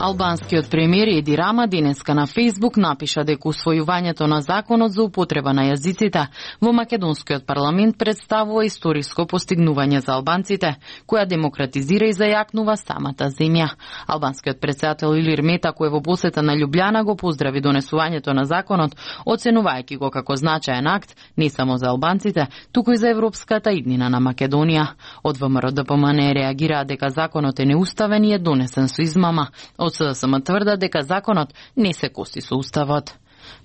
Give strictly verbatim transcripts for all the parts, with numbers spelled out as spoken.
Албанскиот премиер Еди Рама денеска на Фејсбук напиша дека усвојувањето на законот за употреба на јазиците во македонскиот парламент представува историско постигнување за албанците, која демократизира и зајакнува самата земја. Албанскиот претседател Илир Мета, кој во посета на Љубљана го поздрави донесувањето на законот, оценувајќи го како значаен акт не само за албанците, туку и за европската иднина на Македонија. Од ВМРО-ДПМН реагираат дека законот е неуставен и е донесен со измама. Од СДСМ тврдат дека законот не се коси со уставот.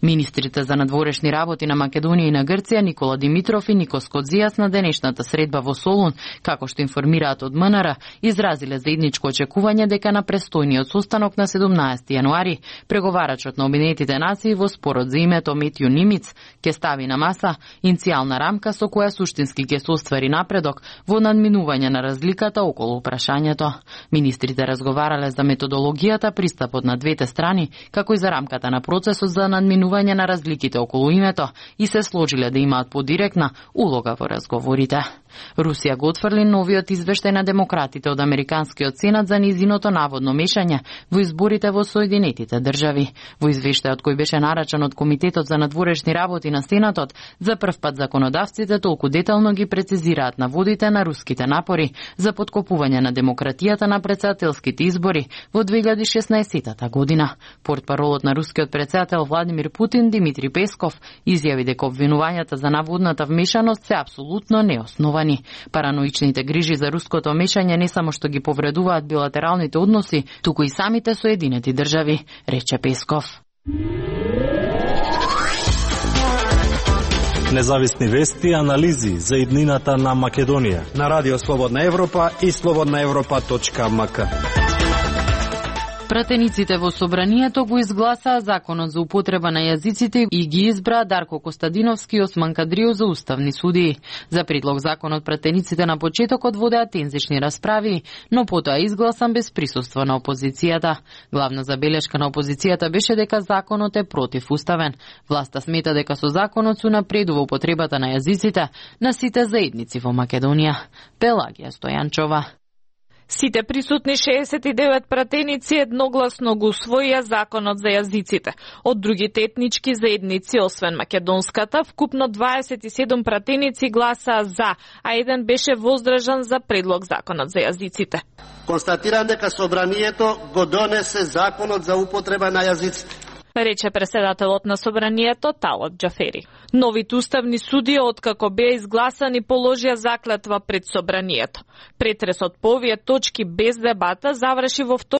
Министрите за надворешни работи на Македонија и на Грција Никола Димитров и Никос Кодзијас на денешната средба во Солун, како што информираат од МНР, изразиле заедничко очекување дека на престојниот состанок на седумнаесети јануари преговарачот на Обединетите нации во спорот за името Метју Нимиц ќе стави на маса иницијална рамка со која суштински ќе се оствари напредок во надминување на разликата околу прашањето. Министрите разговарале за методологијата, пристапот на двете страни, како и за рамката на процесот за надминување на разликите околу името и се сложиле да имаат подиректна улога во разговорите. Русија го отфрли новиот извештај на демократите од Американскиот сенат за низиното наводно мешање во изборите во Соединетите држави. Во извештајот кој беше нарачан од Комитетот за надворешни работи на Сенатот, за прв пат законодавците толку детално ги прецизираат наводите на руските напори за поткопување на демократијата на претседателските избори во две илјади и шеснаесетта година. Портпаролот на рускиот претседател Владимир Путин Димитри Песков изјави дека обвинувањата за наводната вмешаност се апсолутно неосновани. Параноичните грижи за руското мешање не само што ги повредуваат билатералните односи, туку и самите Соединети држави, рече Песков. Независни вести и анализи за иднината на Македонија на Радио Слободна Европа и слободна европа точка ем ка. Пратениците во собранието го изгласаа законот за употреба на јазиците и ги избраа Дарко Костадиновски и Осман Кадрио за уставни судии. За предлог законот пратениците на почетокот водеа тензични расправи, но потоа изгласан без присуство на опозицијата. Главна забелешка на опозицијата беше дека законот е противуставен. Власта смета дека со законот се напредува употребата на јазиците на сите заедници во Македонија. Пелагија Стојанчова. Сите присутни шеесет и девет пратеници едногласно го усвоија законот за јазиците. Од другите етнички заедници, освен македонската, вкупно дваесет и седум пратеници гласаа за, а еден беше воздржан за предлог законот за јазиците. Констатирам дека собранието го донесе законот за употреба на јазиците, рече преседателот на собранието Талот Џафери. Новите уставни судии, откако беа изгласани, положија заклетва пред собранието. Претресот по овие точки без дебата заврши во втор...